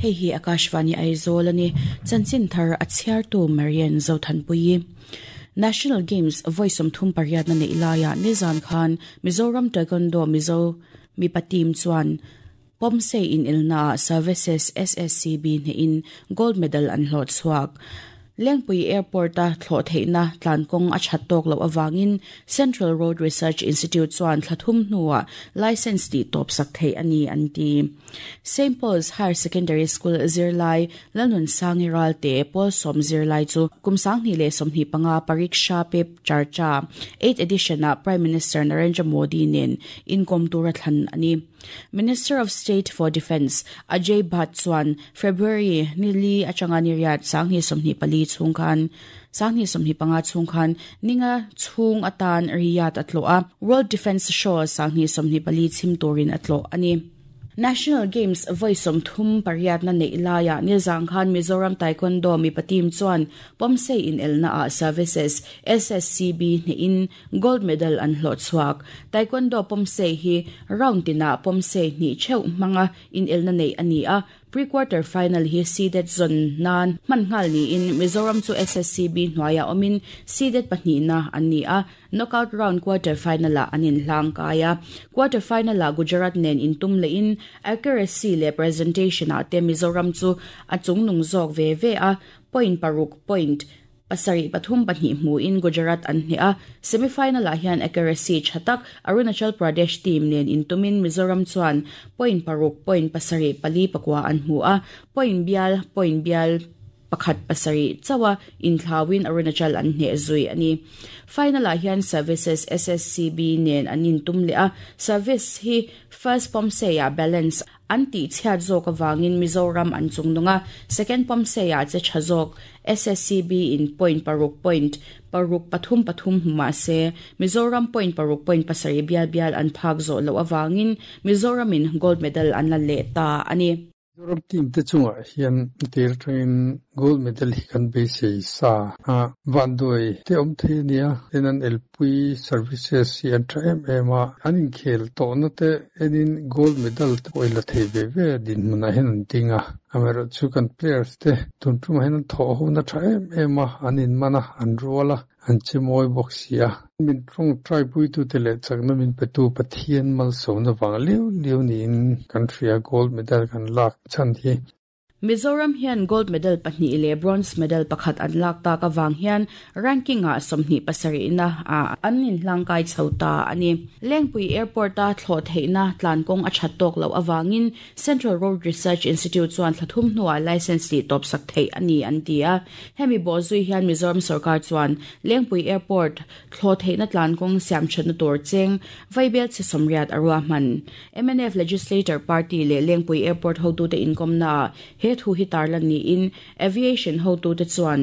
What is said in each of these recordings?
Hei hi Akashvani Aizawl a ni. Chanchin thar a chhiartu Marian Zothanpuii. National Games vawi 38 na neih laiah nizan khan Mizoram Taekwondo Mizo mipa team chuan Pomsei inelnaah Services SSCB hnehin gold medal an hlawh chhuak. Lengpui Airport-a thlawh theihna tlankawng a that tawk loh avangin Central Road Research Institute chuan thla thum hnuah licence tih tawp sak theih a ni an ti. Saint Paul's Higher Secondary School zirlai Lalnunsangi Ralte pawl sawm zirlai chu kum 2025 Pariksha Pe Charcha Eighth Edition-ah Prime Minister Narendra Modi nen inkawm tura thlan a ni. Minister of State for Defence Ajay Bhatt chuan February ni li atanga ni riat 2024 chhung khan 2025 chhung khan ninga chhung atan Riyadh a tlawh a, World Defence Show 2024 chhim turin a tlawh a ni. National Games vawi 38 na neih laiah nizang khan Mizoram Taekwondo mipa team chuan Pomsei inelnaah Services SSCB hnehin Gold medal an hlawh chhuak. Taekwondo Pomsei hi round tinah Pomsei hnih theuh hmanga inelna neih a ni a, pre-quarter final hi seeded zawn nan hman nghal niin Mizoram chu SSCB hnuaiah awmin seeded pahnihna an ni a, knockout round quarter final-ah an inhlang kai a. Quarter final-ah Gujarat nen intum lehin accuracy leh presentation-ah te Mizoram chu a chungnung zawk ve ve a, point paruk point Pasarih pathum pahnih hmuin Gujarat an hneh a, semi-final-ah hian accuracy tha tak Arunachal Pradesh team nen intumin Mizoram chuan point paruk point pasarih pali pakua an hmu a, point bial point bial pakhat pasarih chauha inthlauin Arunachal an hneh zui a ni. Final-ah hian Services SSCB nen an intum leh a, Service hi first pawmseiah balance An tihchhiat zawk avangin Mizoram an chungnung a, second pawmseiah che tha zawk SSCB in point paruk point paruk pathum pathum hmu mah se, Mizoram point paruk point pasarih bial bial an phak zawh loh avangin Mizoramin gold medal an la leh ta a ni. Mizoram team te chungah hian tir atangin gold medal hi kan beisei sa a, vanduai te awm thei a nia, tin an elpui services hi an tha em em a, an inkhel tawhna te enin gold medal te pawh i la thei ve ve a dinhmunah hian an ding a, amaherawhchu kan players te tun tumah hian an thawh hona tha em em a, an inman a, an rual a, an che mawi bawk si a. Min tawngtai puitute leh chakna min petu Pathian malsawmna vang liau liau niin kan hria gold medal kan lak chhan hi. Mizoram hian gold medal pahnih leh bronze medal pakhat an lak tak avang hian ranking-ah 27 na ah an inhlangkai chho ta a ni. Lengpui Airport-a thlawh theihna tlankawng a that tawk loh avangin Central Road Research Institute chuan thla thum hnuah licence tih tawpsak theih a ni an ti a. Hemi bawhzui hian Mizoram sorkar chuan Lengpui Airport thlawh theihna tlankawng siamthatna tur cheng vaibel chhe 80 a ruahman. Mnf Legislator Party leh Lengpui Airport hotute inkawmnaah he thu hi tarlan niin Aviation hotute chuan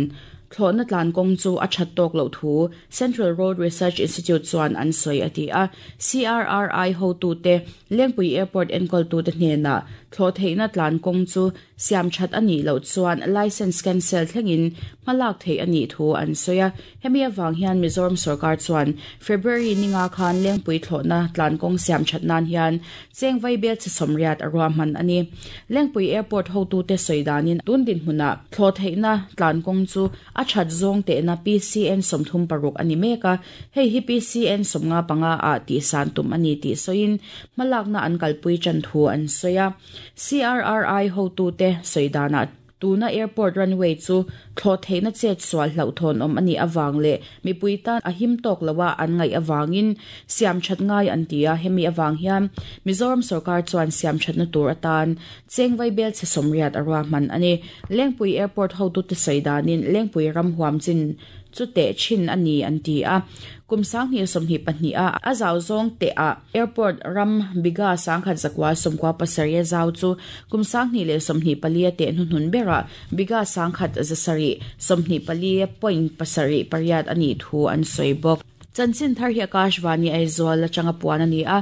thlawhna tlankawng chu a that tawk loh thu Central Road Research Institute chuan an sawi a ti a. CRRI hotute Lengpui Airport enkawltute hnenah thlawh theihna tlankawng chu siam that a nih loh chuan licence cancel thlengin hmalak theih a nih thu an sawi a. Hemi avang hian Mizoram sorkar chuan February ninga khan Lengpui thlawhna tlankawng siam that nan hian cheng vaibel chhe 80 a ruahman a ni. Lengpui Airport hotute sawi danin tun dinhmunah thlawh theihna tlankawng chu a that zawng tehna PCN 36 a ni mek a, hei hi PCN 55 ah tihsan tum a ni tih sawiin hmalakna an kalpui tan thu an sawi a. CRRI hotute sawi danah tuna airport runway chu thlawh theihna chet sual hlauhthawn awm a nih avang leh mipui tan a him tawk loa an ngaih avangin siam that ngai an ti a, hemi avang hian Mizoram sorkar chuan siam thatna tur atan cheng vaibel chhe 80 a ruahman a ni. Lengpui Airport hotute sawi danin Lengpui ram huam chin chu teh thin a ni an ti a. Kum 2022 a a zau zawng teh ah airport ram bigha 1197 a zau chu kum 2024 a teh hnuhnun berah bigha 1124.78 a nih thu an sawi bawk. Chanchin thar hi Akashvani Aizawl atanga puan a ni a.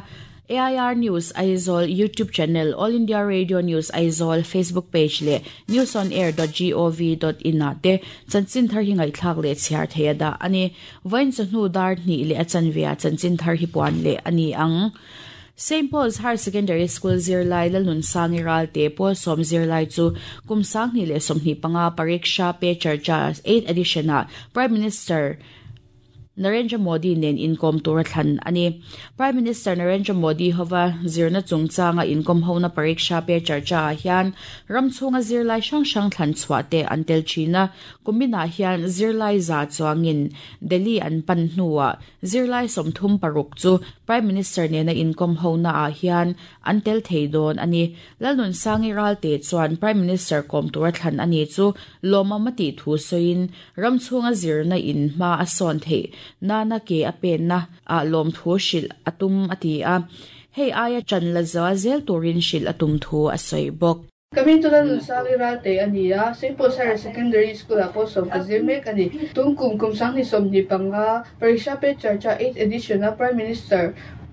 AIR News Aizawl YouTube channel, All India Radio News Aizawl Facebook page leh newsonair.gov.in ah te chanchin thar hi ngaihthlak leh chhiar thei a dah a ni. Vawiin chawhnu dar hnih leh a chanve ah chanchin thar hi puan leh a ni ang. St. Paul's Higher Secondary School zirlai Lalnunsangi Ralte pawl sawm zirlai chu kum 2025 Pariksha Pe Charcha 8th edition-ah Prime Minister Narendra Modi nen inkawm tura thlan a ni. Prime Minister Narendra Modi hova zirna chungchanga inkawm hona Pariksha Pe Charcha-ah hian ram chhunga zirlai hrang hrang thlan chhuah te an tel thin a. Kuminah hian zirlai za chuangin Delhi an pan hnuah Zirlai 36 chu Prime Minister nena inkawm honaah hian an tel thei dawn a ni. Lalnunsangi Ralte chuan Prime Minister kawm tura thlan a ni chu lawmawm a tih thu sawiin ram chhunga zirna in hma a sawn theih nana ke a penna ah lawmthu hrilh a tum a ti a, hei aia ṭan la zual zel turin hrilh a tum thu a sawi bawk. Ka hming chu Lalnunsangi Ralte a ni a, St. Paul's Higher Secondary School-ah pawh sawm ka zir mek a ni. Tum kum kum 2025 Pariksha Pe Charcha Eighth Edition-a Prime Minister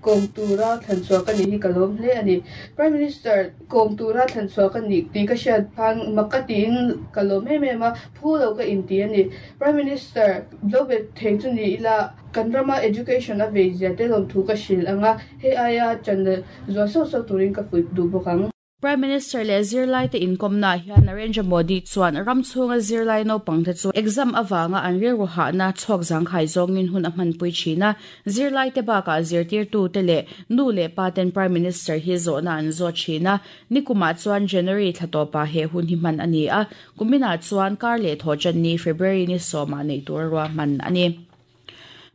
kawm tura thlan chhuah ka nih hi ka lawm hle a ni. Prime Minister kawm tura thlan chhuah ka nih tih ka hriat khan mak ka tiin ka lawm em em a, phu lo ka inti a ni. Prime Minister lo bet thei chu ni ila kan rama education a vei zia te lawmthu ka hrilh ang a, hei aia ṭan zual sauh sauh turin ka fuih duh bawk ang. Prime Minister leh zirlaite inkawmnaah hian Narendra Modi chuan ram chhunga zirlai naupangte chu exam avanga an rilru hahna chhawk zangkhai zawngin hun a hmanpui thin a. Zirlaite bakah zirtirtute leh nu leh paten Prime Minister hi zawhna an zawt thin a. Nikumah chuan January thla tawpah he hun hi hman a ni a, kuminah chuan kar leh thawhṭanni February ni sawmah neih tur a ruahman a ni.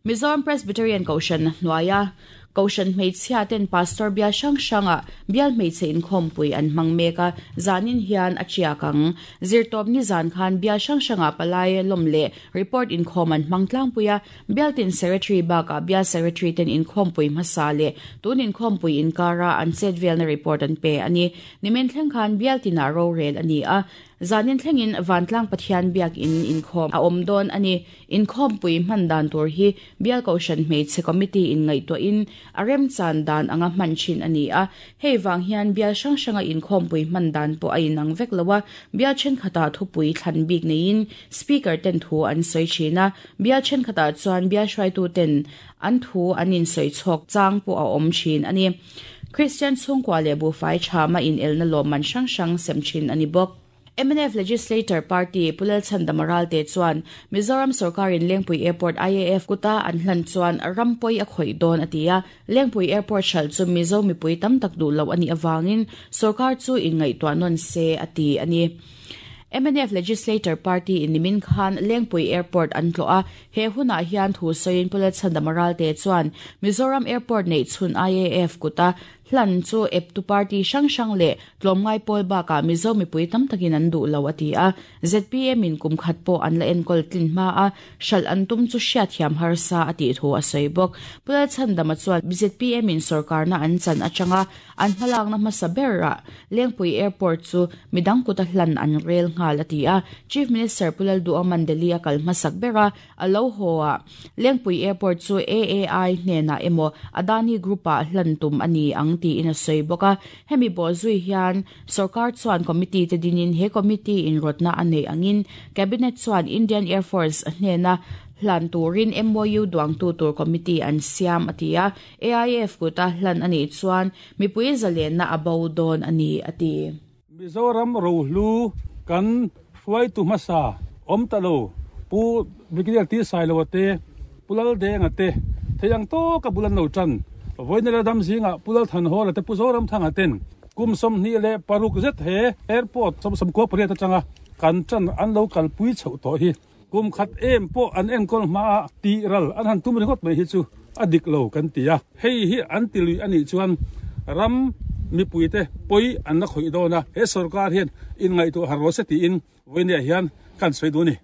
Mizoram Presbyterian Kohhran hnuaia Kohhran hmeichhia ten Pastor bial hrang hranga bial hmeichhe inkhawmpui an hmang mek a, zanin hian a tiak ang. Zirtawp nizan khan bial hrang hranga palai lawm leh report inkhawm an hmang tlangpui a, bialtin Secretary bakah bial Secretary ten inkhawmpui hmasa leh tun inkhawmpui inkara an chetvelna report an pe a ni. Nimin thleng khan bialtinah rorel a ni a, Zanin thlengin Vantlang Pathian biakin inkhawm a awm dawn a ni. Inkhawmpui hman dan tur hi Bial Kohhran Hmeichhe Committee in ngaihtuahin a remchan dan anga hman thin a ni a. Hei vang hian bial hrang hranga inkhawmpui hman dan pawh a inang vek lo a, bial thenkhatah thupui thlan bik neiin Speaker ten thu an sawi thin a, bial thenkhatah chuan bial hruaitu ten an thu an insawi chhawk chang pawh a awm thin a ni. Kristian chhungkua leh buhfai tha mah inelna lawmman hrang hrang sem thin a ni bawk. Mnf Legislator Party Pu Lalchhandama Ralte chuan Mizoram sawrkarin Lengpui Airport IAF kuta an hlan chuan ram pawi a khawih dawn a ti a, Lengpui Airport hralh chu Mizo mipui tam tak duh loh a nih avangin sawrkar chu inngaihtuah nawn se a ti a ni. Mnf Legislator Party in nimin khan Lengpui Airport an tlawh a, he hunah hian thu sawiin Pu Lalchhandama Ralte chuan Mizoram Airport neih chhun IAF kuta hlan chu eptu party hrang hrang leh tlawmngai pawl bakah Mizo mipui tam takin an duh lo a ti a. Zpm in kum khat pawh an la enkawl tlin hma a, hralh an tum chu hriatthiam harsa a tih thu a sawi bawk. Pu Lalchhandama chuan zpm in sawrkarna an chan atanga An hmalakna hmasa berah Lengpui Airport chu midang kuta hlan an rel nghal a ti a. Chief Minister Pu Lalduhawma'n Delhi a kal hmasak ber a, a lo haw a, Lengpui Airport chu AAI hnenah emaw Adani Group-ah hlan tum a ni ang tiin a sawi bawk a. Hemi bawhzui hian sorkar chuan committee te dinin he committee in rawtna a neih angin Cabinet chuan Indian Air Force hnena hlan turin MOU duangtu tur committee an siam a ti a. AIF kuta hlan a nih chuan mipui zalenna a bo dawn a ni, a ti. Mizoram rohlu kan hruaitu hmasa awm ta lo Pu Brigadier T. Sailoa te, Pu Laldenga te thei ang tawka bul an lo tan. Vawiin ram zingah Pu Lalthanhawla te, Pu Zoramthanga ten kum 26 zet he airport 98 atanga kan tan an lo kalpui chhoh tawh hi. Kum khat em pawh an enkawl hmaah tih ral an han tum ringawt mai hi chu a dik lo kan ti a. Hei hi an ti lui a nih chuan ram mipuite pawi an la khawih dawn a, he sorkar hian inngaihtuah har rawh se tiin vawinia hian kan sawi duh a ni.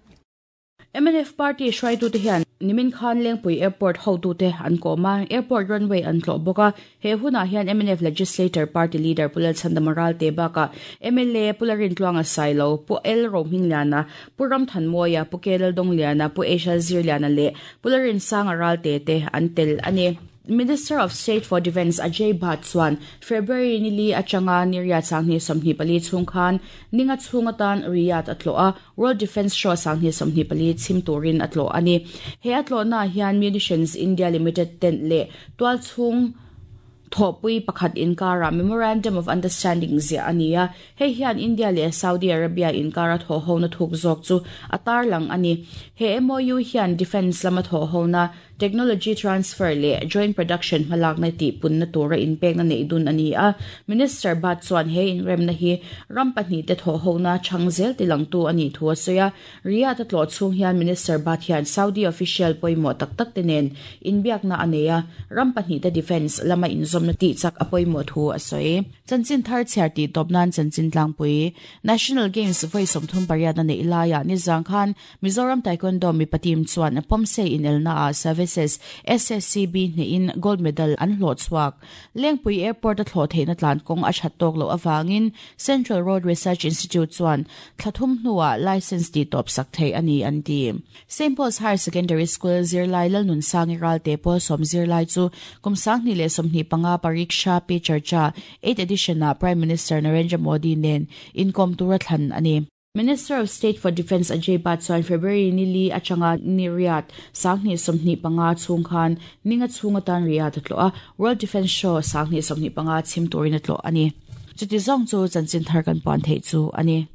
Mnf party hruaitute hian nimin khan Lengpui Airport hotute an kawm a, airport runway an tlawh bawk a. He hunah hian mnf Legislator Party Leader Pu Lalchhandama Ralte bakah mla Pu Larintluanga Sailo, Pu L Rohmingliana, Pu Ramthanmawia, Pu K Laldongliana, Pu H L Zirliana leh Pu Larinsanga Ralte te an tel a ni. Minister of State for Defence Ajay Bhatt chuan February ni li atanga ni riat 2024 chhung khan ninga chhung atan Riyadh a tlawh a, World Defence Show 2024 chhim turin a tlawh a ni. He a tlawhnaah hian Munitions India Limited tent leh tualchhung Thawhpui pakhat inkarah Memorandum of Understanding ziah a ni a, hei hian India leh Saudi Arabia inkara thawhhona thuk zawk chu a tarlang a ni. He MOU hian defence lama thawhhona, technology transfer leh joint production hmalakna tihpunna tura inpekna neih dun a ni a. Minister Bhat chuan he inremna hi ram pahnihte thawhhona chhang zel tilangtu a nih thu a sawi a. Riyadh a tlawh chhung hian Minister Bhat hian Saudi official pawimawh tak tak te nen inbiakna a nei a, ram pahnihte defence lama inzawmna tih chak a pawimawh thu a sawi. Chanchin thar chhiar tih tawp nan chanchin tlangpui National Games vawi 38 na neih laiah nizang khan Mizoram Taekwondo mipa team chuan a pawmsei inelna ah Services SSCB hnehin gold medal an hlawh chhuak. Lengpui Airport a thlawh theihna tlan kawng a that tawk loh avangin Central Road Research Institute chuan thla thum hnuah licence tih tawp sak theih a ni an ti. Saint Paul's Higher Secondary School zirlai Lalnunsangi Ralte pawl sawm zirlai chu kum 2025 Pariksha Pe Charcha 8th edition ah Prime Minister Narendra Modi nen inkawm tura thlan a ni. Minister of State for Defence Ajay Bhatt chuan February ni li atanga ni riat 2025 chhung khan ninga chhung atan Riyadh a tlawh a, World Defence Show 2025 chhim turin a tlawh a ni. Chuti zawng chu chanchin thar kan puan theih chu a ni.